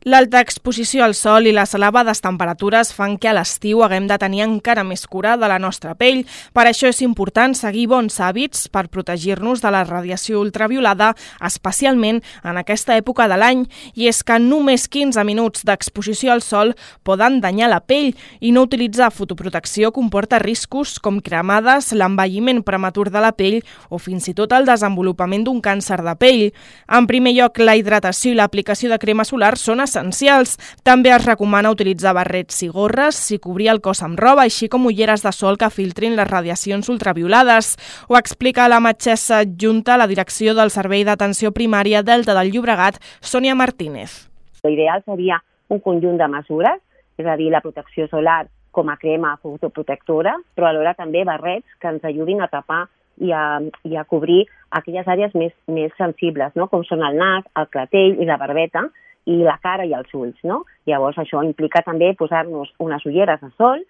L'alta exposició al sol i les elevades temperatures fan que a l'estiu haguem de tenir encara més cura de la nostra pell. Per això és important seguir bons hàbits per protegir-nos de la radiació ultraviolada, especialment en aquesta època de l'any. I és que només 15 minuts d'exposició al sol poden danyar la pell i no utilitzar fotoprotecció comporta riscos com cremades, l'envelliment prematur de la pell o fins i tot el desenvolupament d'un càncer de pell. En primer lloc, la hidratació i l'aplicació de crema solar són essencials. També es recomana utilitzar barrets i gorres i cobrir el cos amb roba, així com ulleres de sol que filtrin les radiacions ultraviolades. Ho explica la metgessa adjunta a la direcció del Servei d'Atenció Primària Delta del Llobregat, Sònia Martínez. L'ideal seria un conjunt de mesures, és a dir, la protecció solar com a crema fotoprotectora, però alhora també barrets que ens ajudin a tapar i a cobrir aquelles àrees més sensibles, no? Com són el nas, el clatell i la barbeta, i la cara i els ulls, no? Llavors això implica també posar-nos unes ulleres de sol,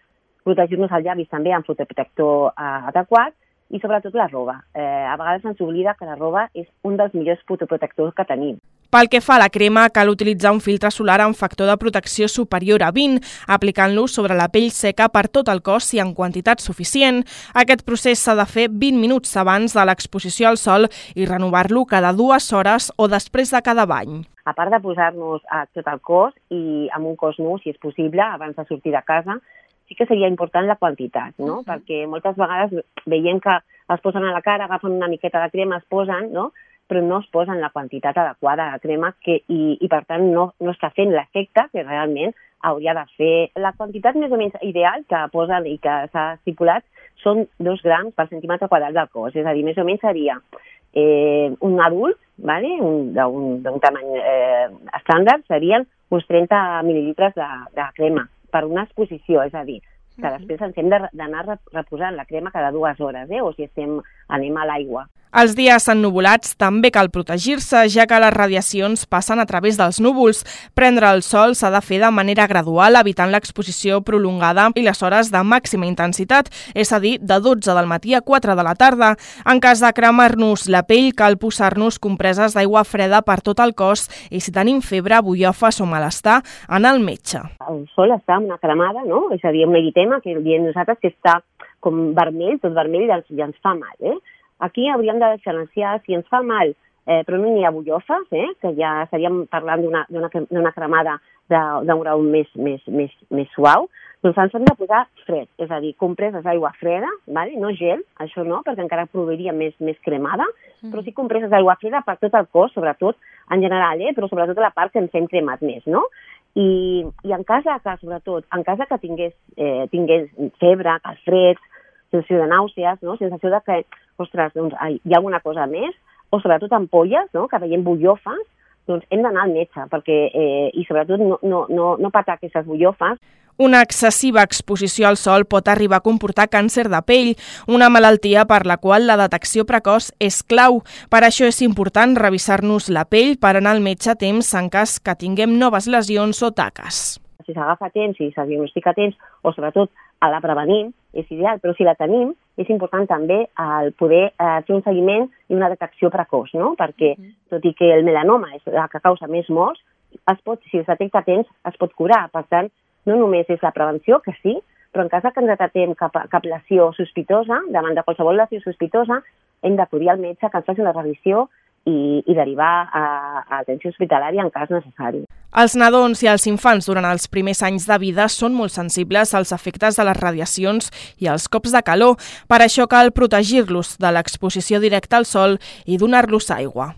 protegir-nos els llavis també amb fotoprotector adequat i sobretot la roba. A vegades ens oblida que la roba és un dels millors fotoprotectors que tenim. Pel que fa a la crema, cal utilitzar un filtre solar amb factor de protecció superior a 20, aplicant-lo sobre la pell seca per tot el cos i en quantitat suficient. Aquest procés s'ha de fer 20 minuts abans de l'exposició al sol i renovar-lo cada 2 hores o després de cada bany. A part de posar-nos a tot el cos i amb un cos nu, si és possible, abans de sortir de casa, sí que seria important la quantitat, no? Perquè moltes vegades veiem que es posen a la cara, agafen una miqueta de crema, es posen, no? Però no es posen la quantitat adequada de crema i per tant no està fent l'efecte que realment hauria de fer. La quantitat més o menys ideal que posen i que s'ha estipulat són 2 grams per centímetre quadrat del cos, és a dir, més o menys seria un adult, ¿vale? d'un tamany estàndard, serien uns 30 mil·lilitres de crema per una exposició, és a dir, que després ens hem d'anar reposant la crema cada 2 hores, o si anem a l'aigua. Els dies ennuvolats també cal protegir-se, ja que les radiacions passen a través dels núvols. Prendre el sol s'ha de fer de manera gradual, evitant l'exposició prolongada i les hores de màxima intensitat, és a dir, de 12 del matí a 4 de la tarda. En cas de cremar-nos la pell, cal posar-nos compreses d'aigua freda per tot el cos i si tenim febre, bullofes o malestar, anar al metge. El sol està en una cremada, no? És a dir, un eritema que diem nosaltres que està com vermell, tot vermell i ens fa mal, Aquí hauríem de diferenciar si ens fa mal, però no n'hi ha bullofes, que ja estaríem parlant d'una cremada d'un grau més suau, doncs ens hem de posar fred, és a dir, compreses d'aigua freda, no gel, això no, perquè encara produiria més cremada, però sí compreses d'aigua freda per tot el cos, sobretot en general, però sobretot a la part que ens hem cremat més, no? I en cas que tingués febre, calfreds, sensació de nàusees, sensació de que, ostres, doncs hi ha alguna cosa més, o sobretot ampolles, que veiem bullofes, doncs hem d'anar al metge, i sobretot no patar aquestes bullofes. Una excessiva exposició al sol pot arribar a comportar càncer de pell, una malaltia per la qual la detecció precoç és clau. Per això és important revisar-nos la pell per anar al metge a temps en cas que tinguem noves lesions o taques. Si s'agafa a temps, si se diagnostica a temps, o sobretot a la prevenim, és ideal, però si la tenim, és important també el poder fer un seguiment i una detecció precoç, no? Perquè, tot i que el melanoma és la que causa més morts, si es detecta a temps, es pot curar. Per tant, no només és la prevenció, que sí, però en cas que ens detectem cap lesió sospitosa, davant de qualsevol lesió sospitosa, hem d'acudir al metge que ens faci una revisió i derivar a atenció hospitalària en cas necessari. Els nadons i els infants durant els primers anys de vida són molt sensibles als efectes de les radiacions i als cops de calor. Per això cal protegir-los de l'exposició directa al sol i donar-los aigua.